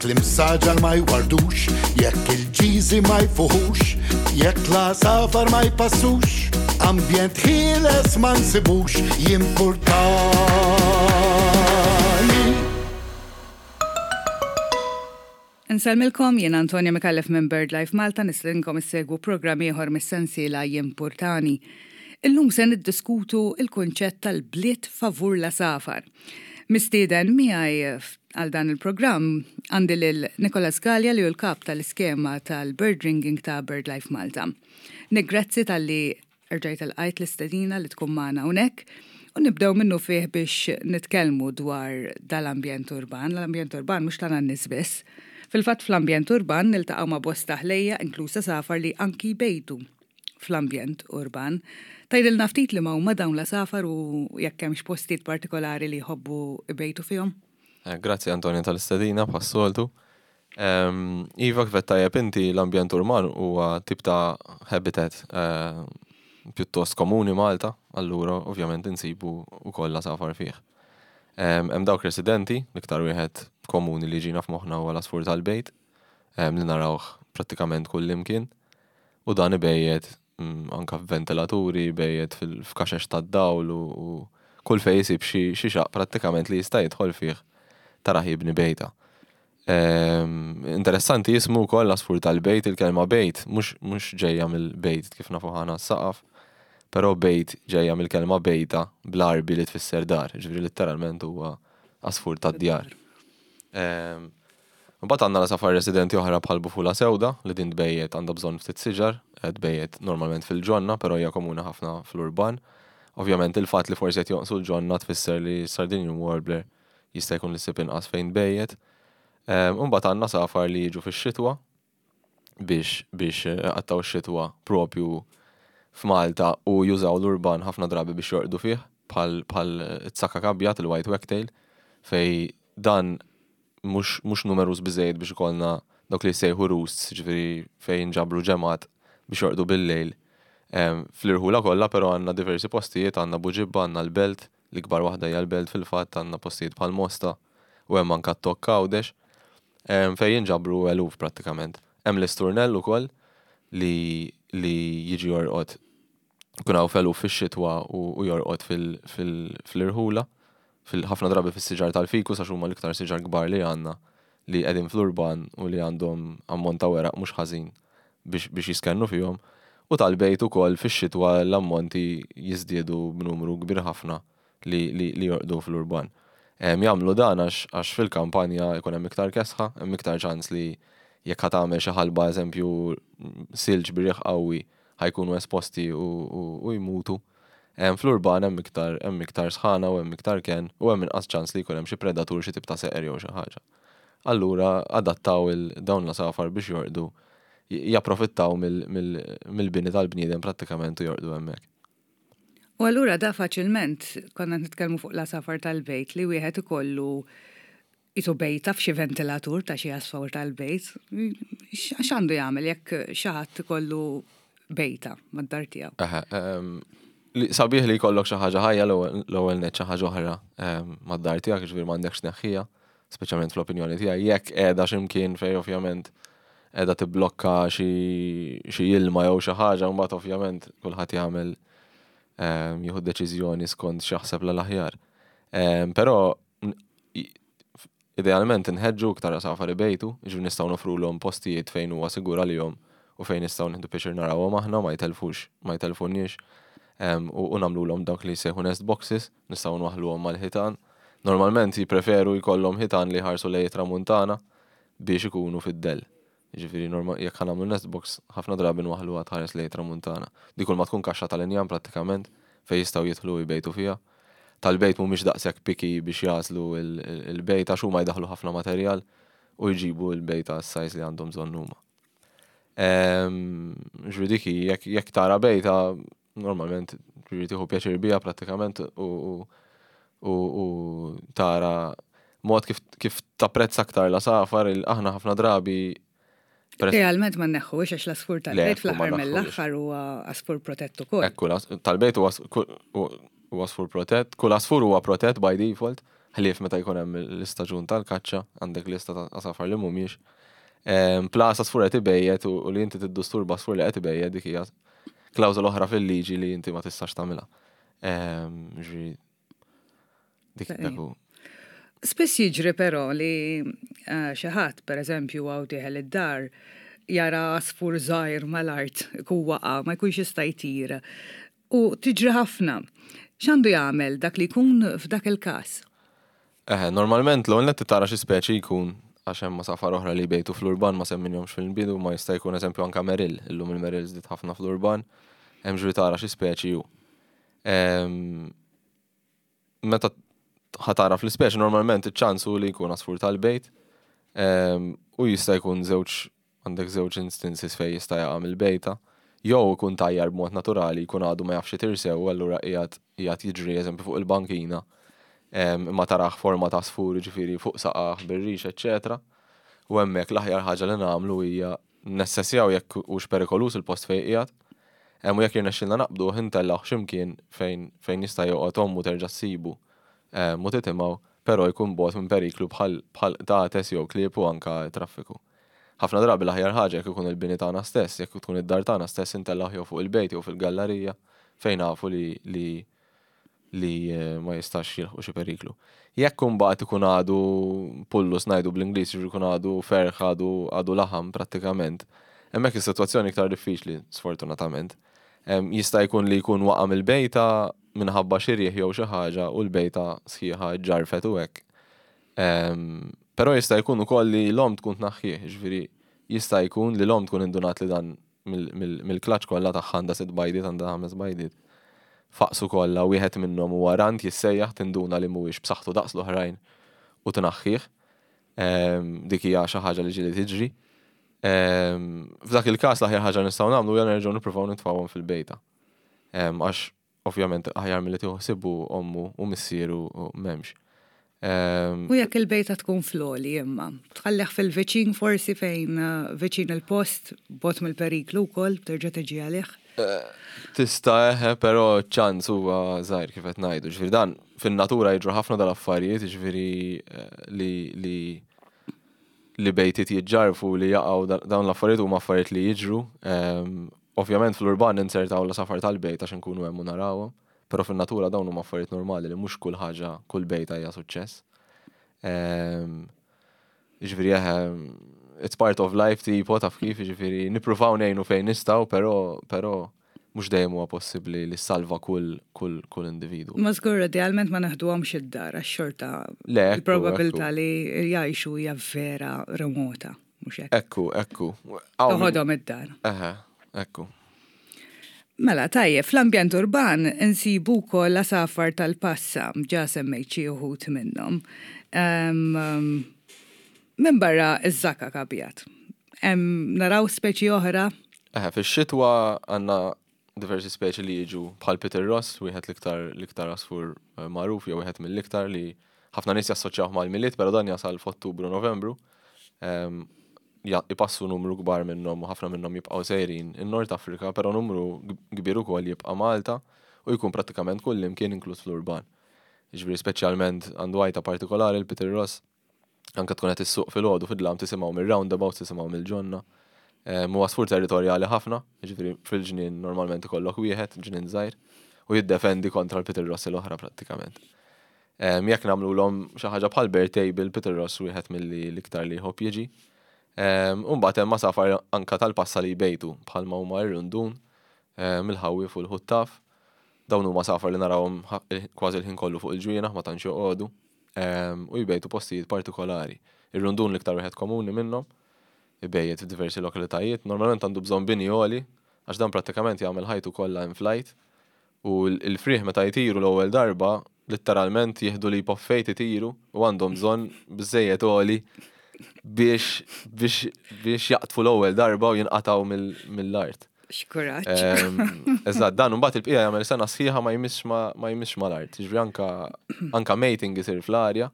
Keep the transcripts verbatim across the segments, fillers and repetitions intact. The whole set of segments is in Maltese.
L-imsaġar ma jwardux, jekk il-ġiżi ma jfuħux, jekk l-għasafar ma jpassux, ambjent ħieles ma nsibux, jimpurtani. Insellmilkom, jien Antonia Micallef minn BirdLife Malta, nistedinkom issegwu programm ieħor mis-sensiela Jimpurtani. Illum se niddiskutu il-kunċett tal-bliet favur l-għasafar. Mistieden miegħi għal dan il-programm għandi lil Nicholas Galea li hu l-kap tal-iskema tal-Bird Ringing ta' BirdLife Malta. Nick, grazzi talli rġajt lqajt l-istedina li tkun magħna hawnhekk. U nibdew minnu fih biex nitkellmu dwar dal-ambjent urban. L-ambjent urban mhux tagħna n-nies biss. Fil-fatt fl-ambjent urban niltaqgħu ma' bosta ħlejja inkluż għasafar li anki jbejtu fl-ambjent urban. Tgħidilna ftit li ma huma dawn l-għasafar u jekk hemmx postijiet partikolari li jħobbu jbejtu fihom? Eh, grazzi Antonia tal-istedina bħas-soltu. Ehm, iva, kif tajjeb inti, l-ambjent urban huwa tip ta' habitat eh, pjuttost komuni Malta, allura ovvjament insibu wkoll l-għasafar fih. Hemm dawk residenti, l-iktar wieħed komuni li ġina f'moħħna huwa l-għasfur tal-bejt, li narawh prattikament kull imkien. U dan ibejjet mm, anka f'ventilaturi, ibejjet f'kaxex tad-dawl u kull fejn jisib xi xaq prattikament li jista' jidħol fih taraħ jibni bejta. Interessanti jismu wkoll l-għasfur tal-bejt, il-kelma bejt mhux ġejja mill-bejt kif nafu ħana s-saqaf, però bejt ġejja mill-kelma bejta bl-Għarbi li tfisser dar, ġifieri letteralment huwa għasfur tad-djar. Mbagħad għandna l-għasafar residenti oħra bħal bufula sewda li din tbejjet għandha bżonn ftit siġar, tbejjet normalment fil-ġonna, però hija komuni ħafna fl-urban. Ovvjament il-fatt li forsi qed jonqsu l-ġonna tfisser li Sardinian Warbler jista' jkun li ssib inqas fejn tbejjet. Mbagħad għandna safar li jiġu fix-xitwa biex biex iqattgħu x-xitwa propju f'Malta u jużaw l-urban ħafna drabi biex jorqdu fih, bħal bħal it-sakak abjad, il-white wagtail, fej dan mhux mhux numeruż biżejjed biex ikollna dawk li jsejħu roosts, ġifieri fejn jinġabru ġemgħat biex jorqdu bil-lejl. Fl-irħula kollha, però għandna diversi postijiet, għandna Buġibba, għandna l-Belt, l-ikbar waħda hija l-Belt fil-fatt, għandna postijiet bħal Mosta u hemm anke t-Tokk Għawdex, fejn jinġabru eluf prattikament. Hemm l-isturnell ukoll li li jiġi jorqod kun hawn feluf fix-xitwa u jorqod fil-irħula, ħafna drabi fis-siġar tal-fikus għax huma l-iktar siġar kbar li għandna li qegħdin fl-urban u li għandhom ammont ta' weraq mhux ħażin biex biex jiskennu fihom. U tal-bejt ukoll fix-xitwa l-ammonti jiżdiedu b'numru kbir ħafna li, li, li jorqdu fl-urban. Jagħmlu dan għax għax fil-kampanja jkun hemm iktar kesħa, hemm iktar ċans li jekk ħa tagħmel xi ħalba, eżempju silġ bir-riħ qawwi, ħa jkunu esposti u, u, u jmutu. Fl-urban hemm iktar hemm iktar sħana u hemm iktar ken u hemm inqas ċans li jkun hemm xi predatur, xi tip ta' seqer jew xi ħaġa. Allura adattaw il dawn l-għasafar biex jorqdu, japprofittaw mill-bini tal-bniedem prattikament u jorqdu hemmhekk. U allura da faċilment konna nitkellmu fuq l-għasafar tal-bejt li wieħed ikollu jisu bejta f'xi ventilatur ta' xi għasfur tal-bejt. X'għandu jagħmel jekk xi ħadd ikollu bejta mad-dar tiegħu? Eħe, sabiħ li jkollok xi ħaġa ħajja l-ewwel nett, xi ħaġa oħra mad-dar tiegħek, ġifieri m'għandekx tneħħiha, speċjalment fl-opinjoni tiegħi. Jekk qiegħda x'imkien fejn ovvjament qiegħda tibblokka xi ilma jew xi ħaġa, mbagħad ovvjament kulħadd jagħmel jieħu deċiżjoni skont x'jaħseb l-aħjar. Però idealment inħeġġu iktar għasafar ibejtu, ġifieri nistgħu nofrulhom postijiet fejn huwa sigur għalihom u fejn nistgħu nieħdu pjaċir narawhom aħna, ma jtelfux, ma jtelfuniex, u nagħmluhom dawk li jsejħu nest boxes, nistgħu nwaħħluhom mal-ħitan. Normalment jippreferu jkollhom ħitan li jħarsu lejn tramuntana biex ikunu fid-dell. Ġifieri jekk ħa nagħmlu nest box, ħafna drabi nwaħħluha tħares lejn tramuntana. Dik kull ma tkun kaxxa tal-injam prattikament fejn jistgħu jidħlu u jbejtu fiha. Tal-bejt mhumiex daqshekk picky biex jagħżlu il-bejt għax huma jdaħħlu ħafna materjal u jġibu l-bejta s-size li għandhom bżonn huma. Ġifieri dik hi, jekk tara bejta, normalment ġifieri tieħu pjaċir biha prattikament u u tara mod kif kif tapprezza aktar l-għasafar, aħna ħafna drabi Realment ma neħħux għax l-għasfur tal-bejt fl-aħħar mill-aħħar huwa għasfur protett ukoll. Ekku, tal-bejt huwa għasfur protett, kull għasfur huwa protett by default. Ħlief meta jkun hemm l-istaġun tal-kaċċa, għandek lista ta' għasafar li mhumiex. Plus għasfur qed ibejjet u li inti tiddisturba għasfur li qed ibejjet, dik hija klawżola oħra fil-liġi li inti ma tistax tagħmilha. Ġifieri dik dak hu. Spiss jiġri però li eh, xi ħadd, pereżempju, hawn dieħel id-dar, jara għasfur żgħir mal-art, ikun waqa', ma jkunx jista' jtir. U tiġri ħafna. X'għandu jagħmel dak li jkun f'dak il-każ? Eħe, normalment l-ewwel nett tara xi speċi jkun, għax hemm għasafar oħra li jbejtu fl-urban ma semminhomx fil-bidu, ma jista' jkun eżempju anka merill, illum il-merill żdied ħafna fl-urban, hemm ġri tara xi speċi hu. Ehm, meta ħa tara fl-ispeċi, normalment iċ-ċans hu li jkun għasfur tal-bejt, ehm, u jista' jkun żewġ, għandek żewġ instances fejn jista' jaqa' mill-bejta, jew ikun tajjar b'mod naturali, jkun għadu ma jafx itir sew, allura qiegħed qiegħed jiġri eżempju fuq il-bankina, ehm, imma taraħ forma ta' għasfur, ġifieri fuq saqaħ bir-rix, eċċetera. U hemmhekk l-aħjar ħaġa li nagħmlu hija nessessjaw jekk hux perikolus il-post fejn qiegħed. Hemm u jekk jirnexxilna naqbdu, intellgħu x'imkien fejn fejn jista' joqgħod ommu terġa' ssibu u titimgħu, però jkun bogħod minn periklu bħal bħal qtates jew klieb u anka traffiku. Ħafna drabi l-aħjar ħaġa jekk ikun il-bini tagħna stess, jekk tkun id-dar tagħna stess, intellgħu jew fuq il-bejt jew fil-gallerija fejn nafu li li li eh, ma jistax jilħqu xi periklu. Jekk imbagħad ikun għadu pullus, ngħidu bl-Ingliż, jiġifieri jkun għadu ferħ, għadu għadu laħam prattikament, hemmhekk is-sitwazzjoni iktar diffiċli, sfortunatament. Em, Jista' jkun li jkun waqa' mill-bejta minħabba xi riħ jew xi ħaġa u l-bejta sħiħa ġarfet u hekk. Em, Però jista' jkun ukoll li l-om tkun tnaħħih, ġifieri jista' jkun li l-om tkun indunat li dan mill-clutch kollha tagħha, għandha sitt bajdiet, għandha ħames bajdiet. Faqsu kollha, wieħed minnhom huwa runt jissejjaħ, tinduna li mhuwiex b'saħħtu daqs l-oħrajn u tnaħħih. Em, Dik hija xi ħaġa li ġieli tiġri. Em, F'dak il-każ l-aħjar ħaġa nistgħu nagħmlu hija nerġgħu nippruvaw nitfgħuhom fil-bejta. Em, Għax ovvjament aħjar milli tieħu ħsibu ommu u missieru u m'hemmx. Em, U jekk il-bejta tkun fl-għoli imma, tħallih fil-viċin forsi fejn eh, viċin il-post, bogħod mill-periklu wkoll, terġa' tiġi għalih. Tista' eħe, però ċans huwa żgħir, kif qed ngħidu. Ġifieri dan fin-natura jiġru ħafna dal-affarijiet, ġifieri eh, li li li bejtiet jiġġarfu, li jaqgħu, da- dawn l-affarijiet huma affarijiet li jiġru. Em, Ovvjament fl-urban insertaw l-għasafar tal-bejt għax nkunu hemm u narawhom, però fin-natura dawn huma affarijiet normali li mhux kull ħaġa, kull bejta hija suċċess. Em, Ġifieri eħe, it's part of life, tipo taf kif, ġifieri nippruvaw ngħinu fejn nistgħu, però però mhux dejjem huwa possibbli li salva kull kull kull individu. Ma żgur idealment ma neħduhomx id-dar għax xorta Le, ekku, il-probabilità ekku. li jgħixu hija vera remota, mhux hekk? Ekku, ekku. Hawn min- Toħodhom id-dar. Eħe, ekku. Mela, tajjeb, fl-ambjent urban insibu wkoll għasafar tal-passa, ġa semmejt xi wħud minnhom. Em, em, Minn barra iż-żakak abjad. Em, Naraw speċi oħra? Eħe, fix-xitwa għandna diversi speċi li jiġu bħal pitirross, wieħed l-iktar l-iktar għasfur eh, magħruf jew wieħed mill-iktar li ħafna nies jassoċjawh mal-Milied, però dan jasal f'Ottubru, Novembru. Em, ja- Ipassu numru kbar minnhom u ħafna minnhom jibqgħu sejrin in-Nord Afrika, però numru kbir ukoll jibqa' Malta u jkun prattikament kull imkien, inkluż fl-urban. Jiġifieri speċjalment għandu għajta partikolari l-pitirross, anka tkun qed issuq filgħodu fid-dlam tisimgħu mir-roundabout, tisimgħu mill-ġonna. Huwa għasfur territorjali ħafna, jiġifieri fil-ġnien normalment ikollok wieħed, ġnien żgħir, u jiddefendi kontra l-pitirross l-oħra prattikament. Em, Jekk nagħmluhom xi ħaġa bħal bird table, pitirross wieħed milli l-iktar li jħobb jiġi. Em, U mbagħad hemm għasafar anka tal-passa li jbejtu bħalma huma r-rundun, em, il-ħawwief u l-ħuttaf. Dawn huma għasafar li narawhom ħa- kważi l-ħin kollu fuq il-ġwienaħ, ma tantx joqogħdu em, u jbejtu postijiet partikolari. Ir-rundun l-iktar wieħed komuni minnhom, ibejjet f'diversi lokalitajiet, normalment għandu bżonn bini għoli, għax dan prattikament jagħmel ħajtu kollha in flight, u l- il-frieħ meta jtiru l-ewwel darba, letteralment jieħdu leap of faith, itiru u għandhom bżonn biżejjed għoli biex biex biex jaqtfu l-ewwel darba u jinqataw mill- mill-art. X'kuraġġ. Em, Eżatt, dan mbagħad il-bqija jagħmel sena sħiħa ma jmissx ma ma jmissx mal-art. Ġifieri anka anka mating isir fl-arja,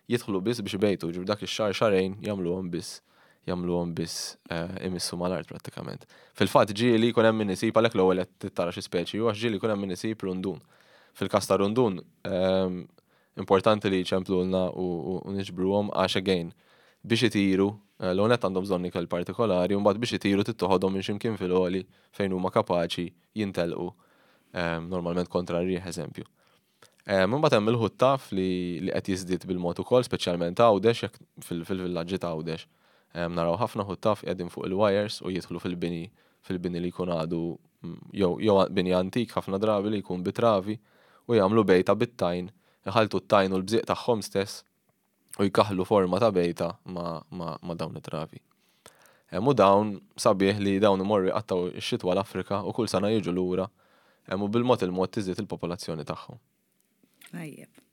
jidħlu biss biex ibejtu, ġifieri dak ix-xahar xahrejn jagħmluhom biss jagħmluhom biss eh, imissu mal-art prattikament. Fil-fatt ġieli jkun hemm min isib, għalhekk l-ewwel qed tara xi speċi, u għax ġieli jkun hemm min isib rundun. Fil-każ ta' rundun, em, Importanti li jċemplulna u, u, u niġbruhom għax again biex itiru, eh, l-għonet għandhom bżonn ikel partikolari, u mbagħad biex itiru tittoħodhom minn x'imkien fil-għoli fejn huma kapaċi jintelqu em, normalment kontra r-riħ eżempju. Mbagħad hemm il-ħuttaf li li qed jiżdied bil-mod ukoll, speċjalment Għawdex, jekk fil-villaġġi ta' Għawdex. Naraw ħafna ħuttaf qegħdin fuq il-wires u jidħlu fil-bini fil-bini li jkun għadu mm, jew jew bini antik ħafna drabi li jkun bit-travi u jagħmlu bejta bit-tajn, iħaltu t-tajn u l-bżieq tagħhom stess u jkaħlu forma ta' bejta ma, ma, ma dawn it-travi. U dawn sabiħ li dawn imorru jqattaw ix-xitwa l-Afrika u kull sena jiġu lura u bil-mod il-mod tiżdied il-popolazzjoni tagħhom. Tajjeb.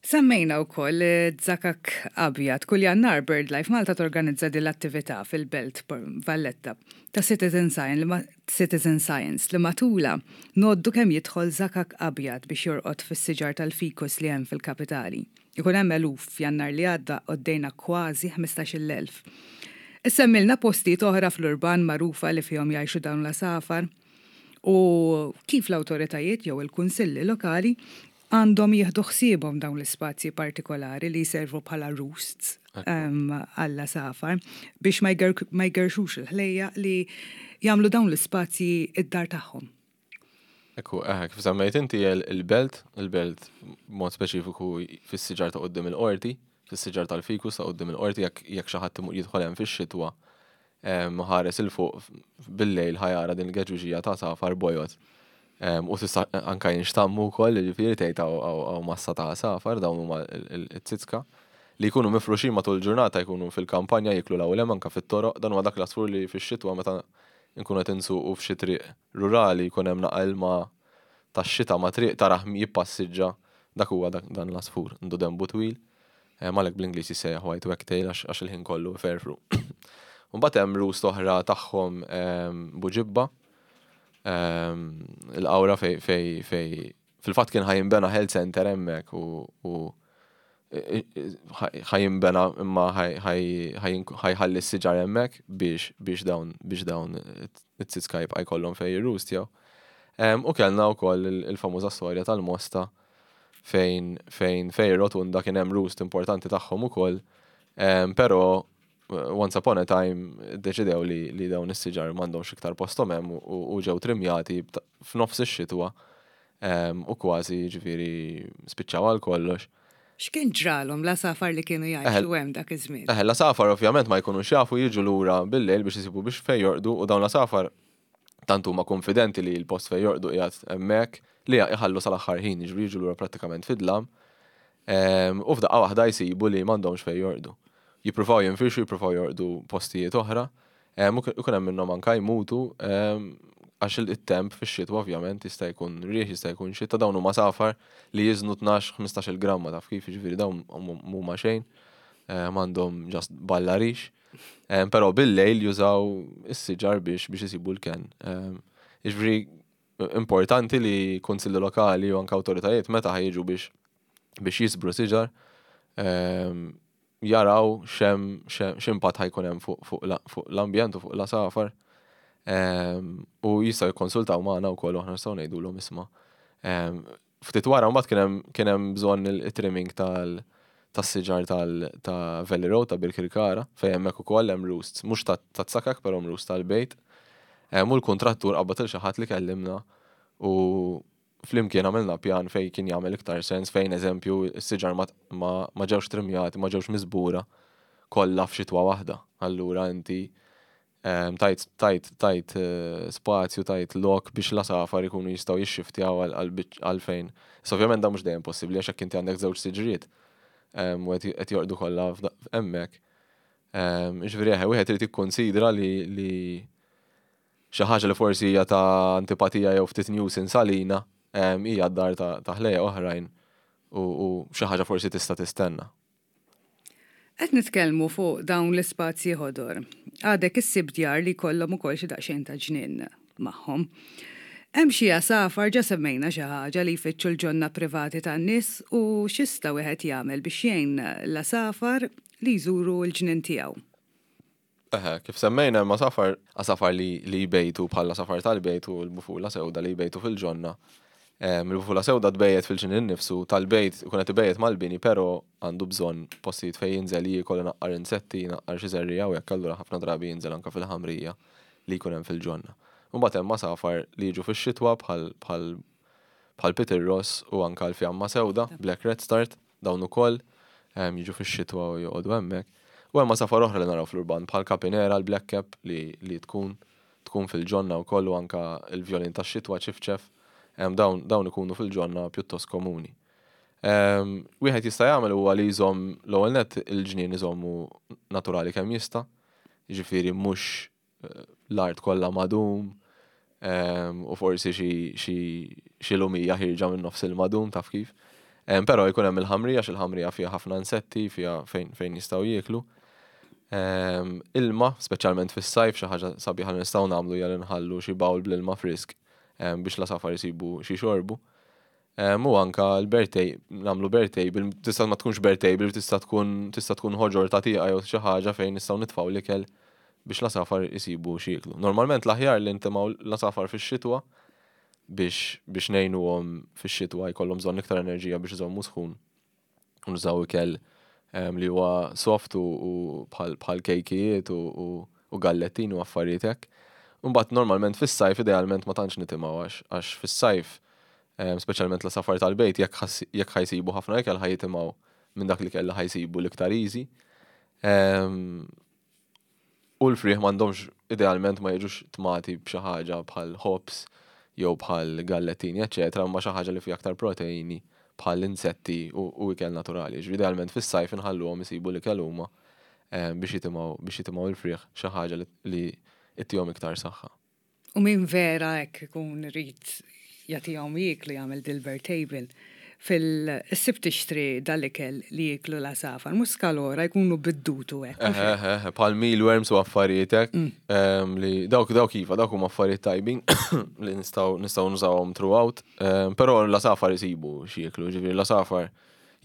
Semmejna wkoll zakak abjad. Kull Jannar BirdLife Malta torganizza din l-attività fil-Belt Valletta ta' Citizen Science li ma- Citizen Science li matula ngħoddu kemm jidħol zakak abjad biex jorqod fis-siġar tal-fikus li hemm fil-kapitali. Ikun hemm eluf. F'Jannar li għadda għoddejna kważi ħmistax-il elf. Issemmilna postijiet oħra fl-urban magħrufa li fihom jgħixu dawn l-għasafar u kif l-awtoritajiet jew il-kunsilli lokali għandhom jieħdu ħsiebhom dawn l-ispazji partikolari li jservu bħala roosts għall-għasafar biex ma jgerxux il-ħlejja li jagħmlu dawn l-ispazji id-dar tagħhom. Ekku, eh, kif semmejt inti il-belt, il-belt mod speċifiku fis-siġar ta' quddiem il-qorti, fis-siġar tal-fikus ta' quddiem il-qorti, jekk jekk xi ħadd jidħol hemm fix-xitwa ħares 'il fuq bil-lejl ħa jara din il-geġuġija ta' għasafar bojod. U tista' anka jinxtammu wkoll, jiġifieri tgħid hawn massa ta' għasafar. Dawn huma it-tsitska li jkunu mifruxin matul ġurnata, jkunu fil-kampanja jiklu l-għawlem anka fit-toroq. Dan huwa dak l-għasfur li fix-xitwa meta nkunu qed insuqu f'xi triq rurali jkun hemm naqa ilma tax-xita ma' triq, tarah jippassiġġa, dak huwa dan l-għasfur, għandu denbu twil. Għalhekk bl-Ingliż jissejjaħ white wagtail għax il-ħin kollu ferfru. Mbagħad hemm roost oħra tagħhom Buġibba, il-Qawra, fej fej fej fil-fatt kien ħa jinbena health center hemmhekk u ħa jinbena imma ħa jħalli s-siġar hemmhekk biex biex dawn biex dawn it-tsitska jibqa' jkollhom fejn jirrustjaw. U kellna wkoll il-famuża storja tal-Mosta fejn fejn fejn rotunda kien hemm roost importanti tagħhom ukoll, però once upon a time deċidew li, li dawn is-siġar m'għandhomx iktar posthom hemm u ġew trimjati f'nofs ix-xitwa u kważi ġifieri spiċċaw għal kollox. X'kien ġralhom l-għasafar li kienu jgħixu hemm dak iż-żmien? Eħe, l-għasafar ovvjament ma jkunux jafu, jiġu lura bil-lejl biex isibu biex fejn jorqdu u dawn l-għasafar tant huma konfidenti li l-post fejn jorqdu qiegħed hemmhekk li jħallu sal-aħħar ħin, jiġri jiġu lura prattikament fid-dlam u f'daqqa waħda jsibu li m'għandhomx fejn jorqdu. Jippruvaw jinfirxu, jippruvaw jorqdu postijiet oħra, u kun hemm minnhom anka jmutu għax il-temp fix-xitwa ovvjament jista' jkun riħ, jista' jkun xita. Dawn huma għasafar li jiżnu tnax ħmistax-il gramma, taf kif, jiġifieri dawn mhuma xejn, m'għandhom just balla rix. Però bil-lejl jużaw is-siġar biex biex isibu l-ken. Jiġifieri importanti li kunsilli lokali u anke awtoritajiet meta ħa jiġu biex biex jiżbru siġar jaraw xem x'impatt ħa jkun hemm fuq l-ambjent u fuq l-għasafar. U jistgħu jikkonsultaw magħna wkoll u aħna nistgħu ngħidulhom isma'. Ftit wara mbagħad kien hemm kien hemm bżonn il-trimming tal tas-siġar tal ta' Valley Road ta' Birkirkara fejn hemmhekk ukoll hemm roosts, mhux ta' tsakak però hemm roost tal-bejt. U l-kuntrattur qabad il xi ħadd li kellimna u flimkien għamilna pjan fejn kien jagħmel iktar sens, fejn eżempju s-siġar ma, ma, ma ġewx trimjati, ma ġewx miżbura kollha f'xitwa waħda. Allura inti tajt tajt tajt spazju, tajt lok biex l-għasafar ikunu jistgħu jixxiftjaw għal fejn. So ovvjament dan mhux dejjem possibbli għax jekk inti għandek żewġ siġriet u qed jorqdu kollha hemmhekk. Jiġifieri eħe, wieħed irid jikkonsidra li li xi ħaġa li forsi hija ta' antipatija jew ftit nuisance għalina hija d-dar ta' ħlejja oħrajn u xi ħaġa forsi tista' tistenna. Qed nitkellmu fuq dawn l-ispazji ħodor. Għadek issib djar li jkollhom ukoll xi daqsxejn ta' ġnien magħhom. Hemm xi għasafar, ġa semmejna xi ħaġa, li jfittxu l-ġonna privati tan-nies u x'jista' wieħed jagħmel biex jgħin l-għasafar li jżuru l-ġnien tiegħu? Eħe, kif semmejna hemm għasafar għasafar li, li jbejtu bħala għasafar tal-bejt u l-bufula sewda li jbejtu fil-ġonna. Il-bufula sewda tbejjet fil-ġnien innifsu, tal-bejt ikun qed ibejjet mal-bini, però għandu bżonn postijiet fejn jinżel jiekol, inaqqar insetti, inaqqar xi żerriegħa u hekk, allura ħafna drabi jinżel anke fil-ħamrija li jkun hemm fil-ġonna. Mbagħad hemm għasafar li jiġu fix-xitwa bħal bħal bħal Peter Ross u anka l-fjamma sewda, Black Redstart, dawn ukoll jiġu fix-xitwa u joqogħdu hemmhekk. U hemm għasafar oħra li naraw fl-urban bħal Capinera, l-Black Cap li, li tkun tkun fil-ġonna wkoll u anka l-vjolin tax-xitwa, ċifċef, dawn, dawn ikunu fil-ġonna pjuttost komuni. Wieħed jista' jagħmel huwa li jżomm l-ewwel nett il-ġnien iżommu naturali kemm jista', jiġifieri mhux eh, l-art kollha madum u forsi xi lumija ħierġa minn nofs il-madum, taf kif. Però jkun hemm il-ħamrija, għax il-ħamrija fiha ħafna insetti, fiha fejn, fejn jistgħu jieklu. Ilma, speċjalment fis-sajf, xi ħaġa sabiħa li nistgħu nagħmlu hija li nħallu xi bowl bl-ilma frisk biex l-għasafar isibu xi xorbu. U anka l-bird table, nagħmlu bird table, tista' ma tkunx bird table, tista' tkun tista' tkun ħoġor ta' tieqa jew xi ħaġa fejn nistgħu nitfgħu l-ikel biex l-għasafar isibu xi jieklu. Normalment l-aħjar li ntimgħu l-għasafar fix-xitwa biex biex ngħinuhom fix-xitwa, jkollhom bżonn iktar enerġija biex iżommu sħun. Nużaw ikel li huwa soft u bħal kejkijiet u gallettin u affarijiet hekk. Mbagħad normalment fis-sajf idealment ma tantx nitimgħu għax għax fis-sajf, speċjalment l-għasafar tal-bejt, jekk ħa jsibu ħafna ikel, ħa jitimgħu minn dak li kellha ħa jsibu l-iktar easy. U l-frieħ m'għandhomx, idealment ma jiġux tmati b'xi ħaġa bħal ħobż jew bħal gallettini, eċetera, imma xi ħaġa li fiha aktar proteini bħal insetti u ikel naturali. Ġifieri idealment fis-sajf inħalluhom isibu l-ikel huma biex jitimgħu biex jitimgħu l-frieħ xi ħaġa li ittihom iktar saħħa. U min vera hekk ikun irid jagħtihom jieklu, jagħmel dil-bird table. Fis-suq tixtri dal-ikel li jieklu l-għasafar, mhux skalora jkunu biddutu hekk. Eħe, bħal mealworms u affarijiet hekk mm. li dawk dawk iva, dawk huma affarijiet tajbin li nistgħu nistgħu nużawhom throughout, però l-għasafar isibu x'jieklu, ġifieri l-għasafar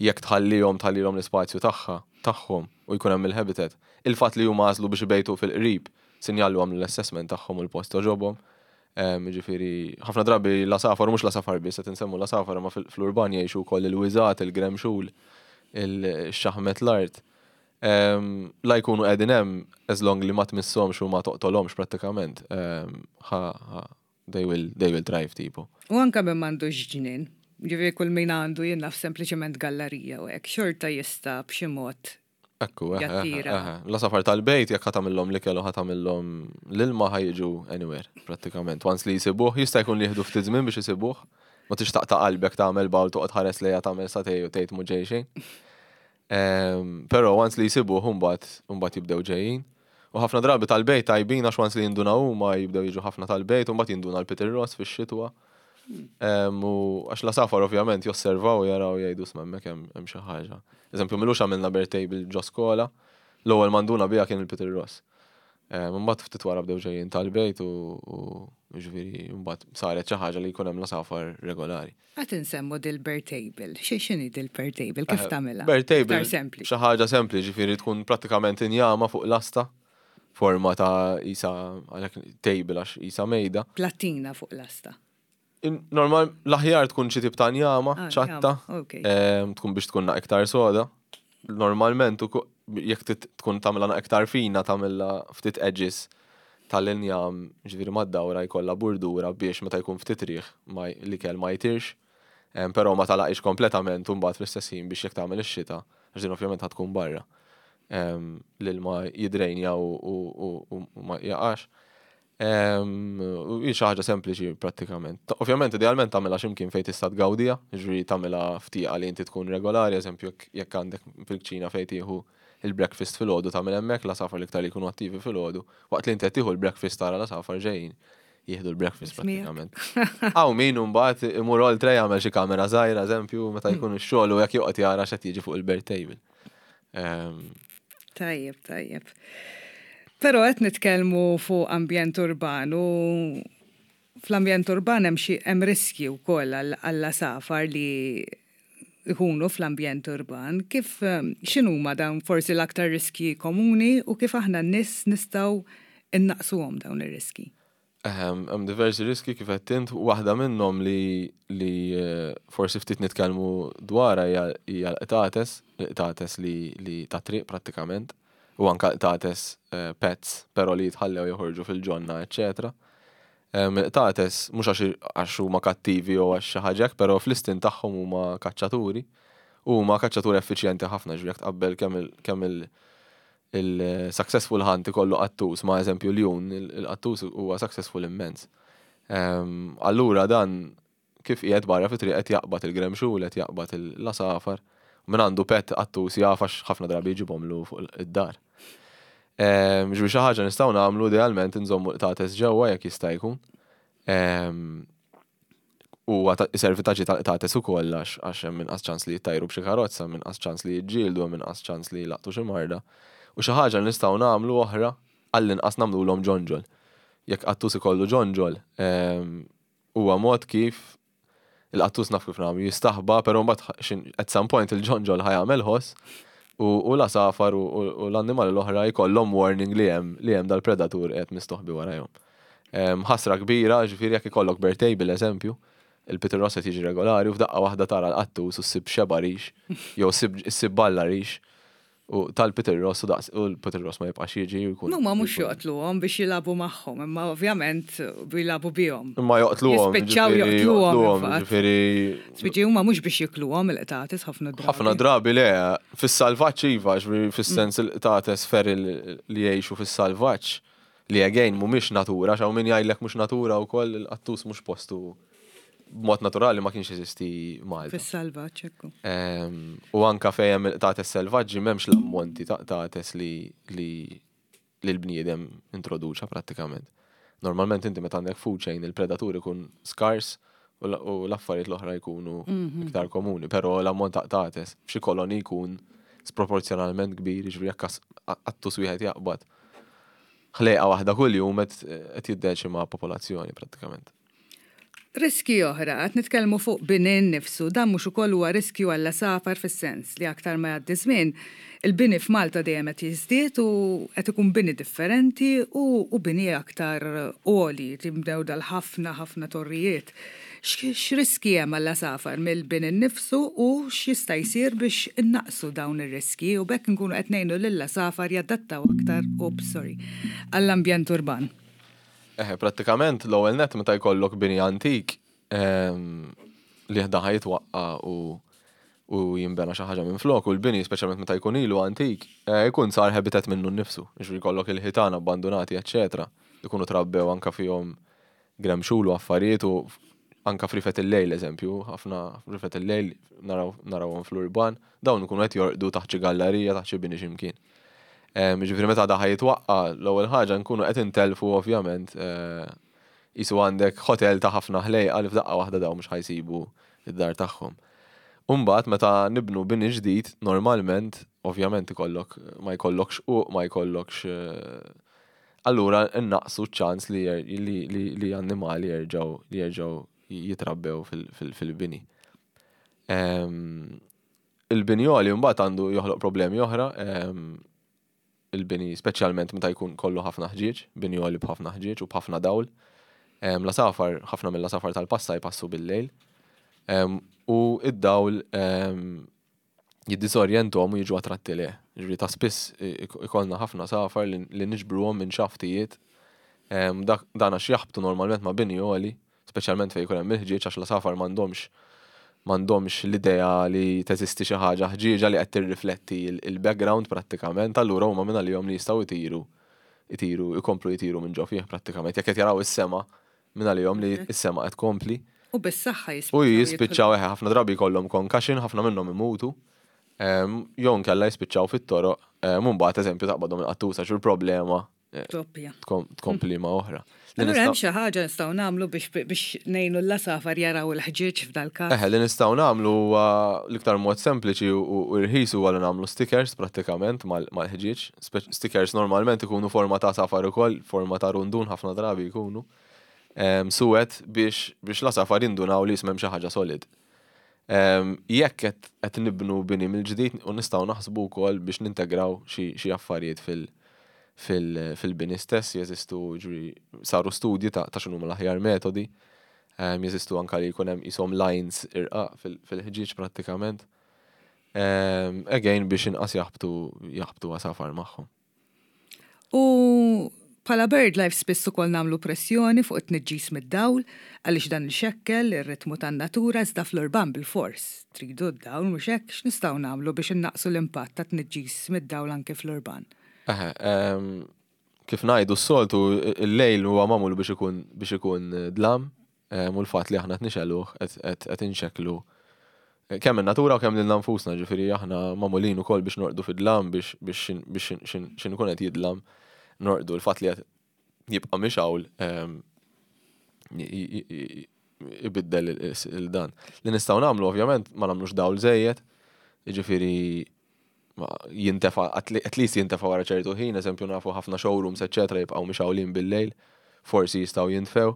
jekk tħallihom tħallihom l-ispazju tagħha tagħhom u jkun hemm il-habitat. Il-fatt li huma għażlu biex ibejtu fil-qrib sinjal li għamlu l-assessment tagħhom u l-post għoġobhom. Ġifieri, ħafna drabi l-għasafar, mhux l-għasafar biss, qed insemmu l-għasafar, ma fl-urban jgħixu wkoll il-wiżgħat, il-gremxul, il-xaħmet l-art. La jkunu qegħdin hemm, as long li ma tmisshomx u ma toqtolhomx prattikament, they will, they will thrive tipo. U anka min m'għandux ġnien, ġifieri kull min għandu, jien naf, sempliċement gallerija u hekk, xorta jista' b'xi mod Ekku, l-għasafar tal-bejt, jekk ħa tagħmillhom l-ikel u ħa tagħmillhom l-ilma, ħa jiġu anywhere, prattikament. Once li jisibuh, jista' jkun li jieħdu ftit żmien biex jisibuh. Ma tix taqta' qalbek, tagħmel bowl, toqgħod ħares lejha, tagħmel sagħtejn u tgħid mhu ġej xejn. Però once li jisibuh, mbagħad mbagħad jibdew ġejjin. U ħafna drabi tal-bejt tajbin għax once li jindunaw huma jibdew jiġu ħafna tal-bejt u mbagħad jinduna l-Peter Ross fix-xitwa. U għax l-għasafar ovvjament josservaw, jaraw, jgħidu, "Isma', hemmhekk hemm xi ħaġa." Eżempju, m'ilux għamilna bird table ġo skola, l-ewwel min induna biha kien il-Peter Ross. Mbagħad ftit wara bdew ġejjin tal-bejt u ġifieri mbagħad saret xi ħaġa li jkun hemm l-għasafar regolari. Qed insemmu dil-bird table. Xi x'inhi dil-bird table? Kif tagħmilha? Bird table. Xi ħaġa sempliċi, ġifieri tkun prattikament injama fuq lasta, forma ta' isa għalhekk table għax isa mejda. Plattina fuq lasta. Normal, l-aħjar tkun xi tip ta' njama, ah, ċatta, tkun biex tkun iktar soda. Normalment, jekk tkun tagħmilha iktar fina, tagħmilha ftit edges tal-injam, ġifieri mad-dawra jkollha burdura biex meta jkun ftit riħ l-ikel ma jtirx. Però ma tagħlaqx kompletament u mbagħad fl-istess ħin biex jekk tagħmel ix-xita, għax din ovvjament tkun barra, l-ilma jidrejnja u ma jaqax. U hi xi ħaġa sempliċi prattikament. Ovvjament idealment tagħmilha x'imkien fejn tista' tgawdiha, ġifieri tagħmilha f'tieqa li inti tkun regolari, eżempju jekk għandek fil-kċina fejn tieħu il-breakfast filgħodu, tagħmel hemmhekk. L-għasafar l-iktar li jkunu attivi filgħodu. Waqt li inti qed tieħu l-breakfast tara l-għasafar ġejjin jieħdu l-breakfast prattikament. Hawn min mbagħad imur oltre, jagħmel xi kamera żgħira, eżempju, meta jkun ix-xogħol u jekk joqgħod jara x'qed jiġi fuq il-bird table. Tajjeb, tajjeb. Però qed nitkellmu fuq ambjent urban u fl-ambjent urban hemm xi hemm riski wkoll għall-għasafar li ikunu fl-ambjent urban. Kif, x'inhuma dawn forsi l-aktar riski komuni u kif aħna n-nies nistgħu innaqsuhom dawn ir-riski? Ehm, hemm diversi riski kif qed int, waħda minnhom li li eh, forsi ftit nitkellmu dwarha hija hija l-qtates, l-qtates li li ta' triq prattikament, u anka qtates eh, pets, però li jitħallew joħorġu fil-ġonna, eċċetera. Ehm, Il-qtates mhux għax għax huma kattivi jew għax xi ħaġa hekk, però fl-istint tagħhom huma kaċċaturi u huma kaċċaturi effiċjenti ħafna, ġifieri jekk tqabbel kemm il kemm il il-successful hunt ikollu qattus, ma eżempju ljun, il-qattus huwa successful immens. Ehm, allura dan kif qiegħed barra fi triq qed jaqbad il-gremxul, qed jaqbad l-għasafar. Min għandu pet qattus jaf għax ħafna drabi jġibhomlu fuq id-dar. Ehm, Ġifieri xi ħaġa nistgħu nagħmlu idealment inżommu qtates ġewwa jekk jista' jkun. Ehm, U iservi ta' tal-qtates ukoll għax għax hemm inqas ċans li jittajru b'xi karozza, hemm inqas ċans li jiġġieldu, hemm inqas ċans li jlaqtu xi marda. U xi ħaġa li nistgħu nagħmlu oħra għall-inqas nagħmluhom ġonġol. Jekk qattus ikollu ġonġol, ehm, huwa mod kif il-qattus naf kif nagħmlu jistaħba, però mbagħad at some point il-ġonġol ħa jagħmel ħoss u u l-għasafar u u l-annimali l-oħra jkollhom warning li hemm li hemm dal-predatur qed mistoħbi warajhom. Ehm, Ħasra kbira, ġifieri jekk ikollok bird table eżempju, il-Peter Ross qed jiġi regolari u f'daqqa waħda tara l-qattus u ssib xeba rix, jew ssib balla rix u tal-Peter Ross u daqs u l-Peter Ross ma jibqax jiġi u jkun. Huma mhux joqtluhom biex jilagħbu magħhom, imma ovvjament jilagħbu bihom. Imma joqtluhom. Jispiċċaw ġifieri joqtluhom, infatti. Ġifieri Spiċi huma mhux biex jikluhom il-qtates ħafna drabi. ħafna drabi le, fis-salvaġġ iva, ġifieri fis-sens il-qtates feral li jgħixu fis-salvaġġ li again mhumiex natura, x'hawn min jgħidlek mhux natura wkoll il-qattus mhux postu b'mod naturali ma kienx jeżisti Malta. Fis-salvaġġ ekku. Ehm, U anka fejn hemm il-qtates selvaġġi m'hemmx l-ammonti ta' qtates li li li l-bniedem introduċa prattikament. Normalment inti meta għandek food chain il-predatur ikun skars u l- u l-affarijiet l-oħra jkunu iktar komuni, però l-ammont ta' qtates f'xi koloni jkun sproporzjonalment kbir, jiġifieri jekk as- qattus wieħed jaqbad. Ħlejqa waħda kuljum qed qed jiddeċima popolazzjoni prattikament. Riski oħra, qed nitkellmu fuq bini nnifsu, dan mhux ukoll huwa riskju għall-għasafar fis-sens li aktar ma jgħaddi żmien, il-bini f'Malta dejjem qed jiżdied u qed ikun bini differenti u, u bini aktar għoli, tibdew dal-ħafna ħafna torrijiet. X'riski hemm għall-għasafar mill-bini nnifsu u x'jista' jsir biex innaqsu dawn ir-riski u b'hekk nkunu qed ngħinu lill-għasafar jadattaw aktar, oops, sorry, għall-ambjent urban. Eħe, prattikament l-ewwel net meta jkollok bini antik ehm, li ħda jitwaqqa u u jinbena xi ħaġa minn flok u l-bini speċjalment meta jkun ilu antik, eh, jkun sar habitat minnu nnifsu. Jiġifieri jkollok il-ħitan abbandonati, eċċetera. Ikunu trabbew anka fihom gremxul u affarijiet u anka frifet il-lejl eżempju, ħafna frifet il-lejl naraw narawhom fl-urban, dawn ikunu qed jorqdu taħt xi gallerija, taħt xi bini x'imkien. Ġifieri meta daħ jitwaqqa, l-ewwel ħaġa nkunu qed intelfu ovvjament eh, jisu għandek hotel ta' ħafna ħlejqa li f'daqqa waħda daw mhux ħa jsibu id-dar tagħhom. Umbagħad meta nibnu bini ġdid, normalment, ovvjament ikollok ma jkollokx u ma jkollokx eh, allura innaqsu ċ-ċans li, li, li, li annimali jerġgħu li jerġgħu jitrabbew fil-bini. Il-bini għoli mbagħad għandu joħloq problemi oħra, il-bini speċjalment meta jkun kollu ħafna ħġieġ, bini għoli b'ħafna ħġieġ u b'ħafna dawl. L-għasafar, ħafna mill-għasafar tal-passa jpassu bil-lejl. U id-dawl jiddisorjentom u jiġu attratti leh. Ġifieri ta' spiss ikollna ħafna għasafar li niġbruhom minn xaftijiet. Dan għax jaħbtu normalment ma' bini għoli, speċjalment fejn jkun hemm il-ħġieġ għax l-għasafar m'għandhomx m'għandhomx l-idea li teżisti xi ħaġa ħġieġa li qed tirrifletti il-background prattikament, allura huma minn għalihom li jistgħu jtiru jtiru, jkomplu jtiru minn ġo fih prattikament. Jekk qed jaraw is-sema minn għalihom li s-sema qed tkompli. U bis-saħħa jispiċċaw. U jispiċċaw eħe, ħafna drabi jkollhom concussion, ħafna minnhom imutu. Jew nkella jispiċċaw fit-toroq, mbagħad eżempju taqbadhom il-qattusa xi problema Doppja. tkompli ma' oħra. Allura hemm xi ħaġa nistgħu nagħmlu biex biex ngħinu l-għasafar jaraw il-ħġieġ f'dal-każ. Eħe, li nistgħu nagħmlu huwa l-iktar mod sempliċi u rħis huwa li nagħmlu stickers prattikament mal-ħġieġ. Stickers normalment ikunu forma ta' għasafar ukoll, forma ta' rundun ħafna drabi jkunu. Suwed biex biex l-għasafar jindunaw li hemm xi ħaġa solid. Jekk qed nibnu bini mill-ġdid u nistgħu naħsbu wkoll biex nintegraw xi affarijiet fil- fil-bini stess, jeżistu ġifieri saru studji ta' x'inhuma l-aħjar metodi. Jeżistu anka li jkun hemm qishom lines irqaq fil-ħġieġ prattikament. Again biex inqas jaħbtu jaħbtu għasafar magħhom. U bħala BirdLife spiss ukoll nagħmlu pressjoni fuq it-tniġġis mid-dawl għaliex dan ixekkel ir-ritmu tan-natura iżda fl-urban bil-fors. Tridu d-dawl mhux hekk x'nistgħu nagħmlu biex innaqqsu l-impatt ta' tniġġis mid-dawl anke fl-urban? Eħe, kif ngħidu s-soltu il-lejl huwa magħmul biex ikun biex ikun dlam u l-fatt li aħna qed nixegħluh qed inxekklu kemm in-natura u kemm lilna nfusna, ġifieri aħna magħmulin ukoll biex norqdu fid-dlam biex biex x'in ikun qed jidlam norqdu l-fatt li qed jibqa' mixgħul ibiddel il-dan. Li nistgħu nagħmlu ovvjament ma nagħmlux dawl żejjed, jiġifieri jintefa' at least jintefa' wara ċertu ħin, eżempju nafu ħafna showrooms eċċetera jibqgħu mixgħulin bil-lejl, forsi jistgħu jintfew.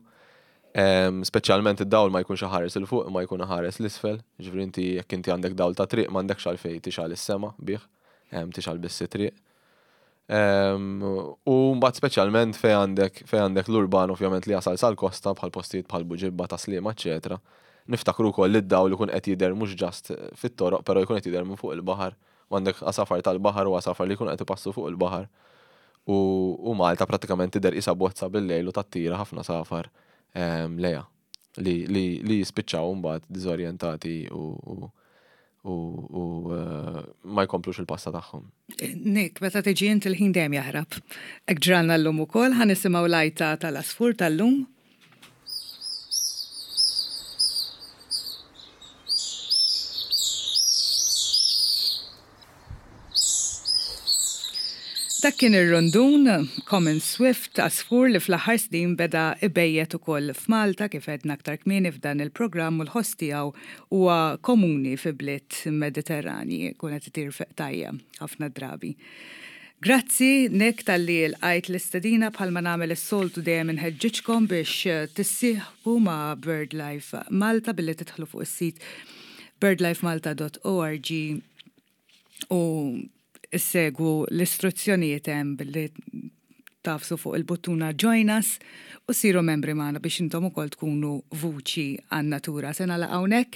Speċjalment id-dawl ma jkunx iħares 'il fuq ma jkun iħares 'l isfel, ġifieri inti jekk inti għandek dawl ta' triq m'għandekx għalfejn tixgħal is-sema bih, tixgħal biss it-triq. U mbagħad speċjalment fejn għandek fejn għandek l-urban ovvjament li jasal sal-kosta bħal postijiet bħal Buġibba ta' Sliema eċċetera. Niftakru wkoll li d-dawl ikun qed jidher mhux just fit-toroq però jkun qed jidher minn fuq il-baħar u għandek għasafar tal-baħar u għasafar li jkunu qed ipassu fuq il-baħar. U Malta prattikament tidher qisha bozza bil-lejl u tattira ħafna safar lejha li li jispiċċaw mbagħad diżorjentati u u u ma jkomplux il-passa tagħhom. Nick, meta tiġi int il-ħin dejjem jaħrab. Hekk ġralna llum ukoll ħa nisimgħu l-għajta tal-għasfur tal-lum. Dak kien ir-rundun Common Swift għasfur li fl-aħħar snin beda ibejjet ukoll f'Malta kif għedna aktar kmieni f'dan il-programm u l-ħoss tiegħu huwa komuni fi bliet Mediterranji, jkun qed itir fi qtajja ħafna drabi. Grazzi Nick talli lqajt l-istedina bħalma nagħmel is-soltu dejjem inħeġġiġkom biex tissieħbu ma' BirdLife Malta billi tidħlu fuq is-sit birdlifemalta dot org u issegwu l-istruzzjonijiet hemm billi tafsu fuq il-buttuna Join Us u siru membri magħna biex intom ukoll tkunu vuċi għan-natura. Se nagħlaq hawnhekk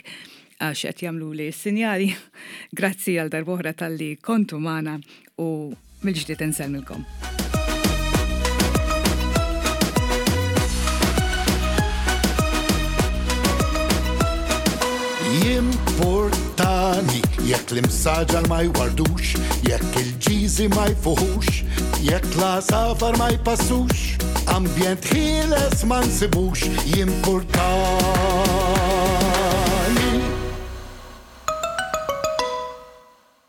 għax qed jagħmluli s-sinjali. Grazzi għal darb'oħra talli kontu magħna u mill-ġdid insellmilkom. Jimportani jekk l-imsaġar ma jwardux, jekk il-ġiżi ma jfuħux, jekk l-għasafar ma jpassux, ambjent ħieles ma nsibux, jimportani.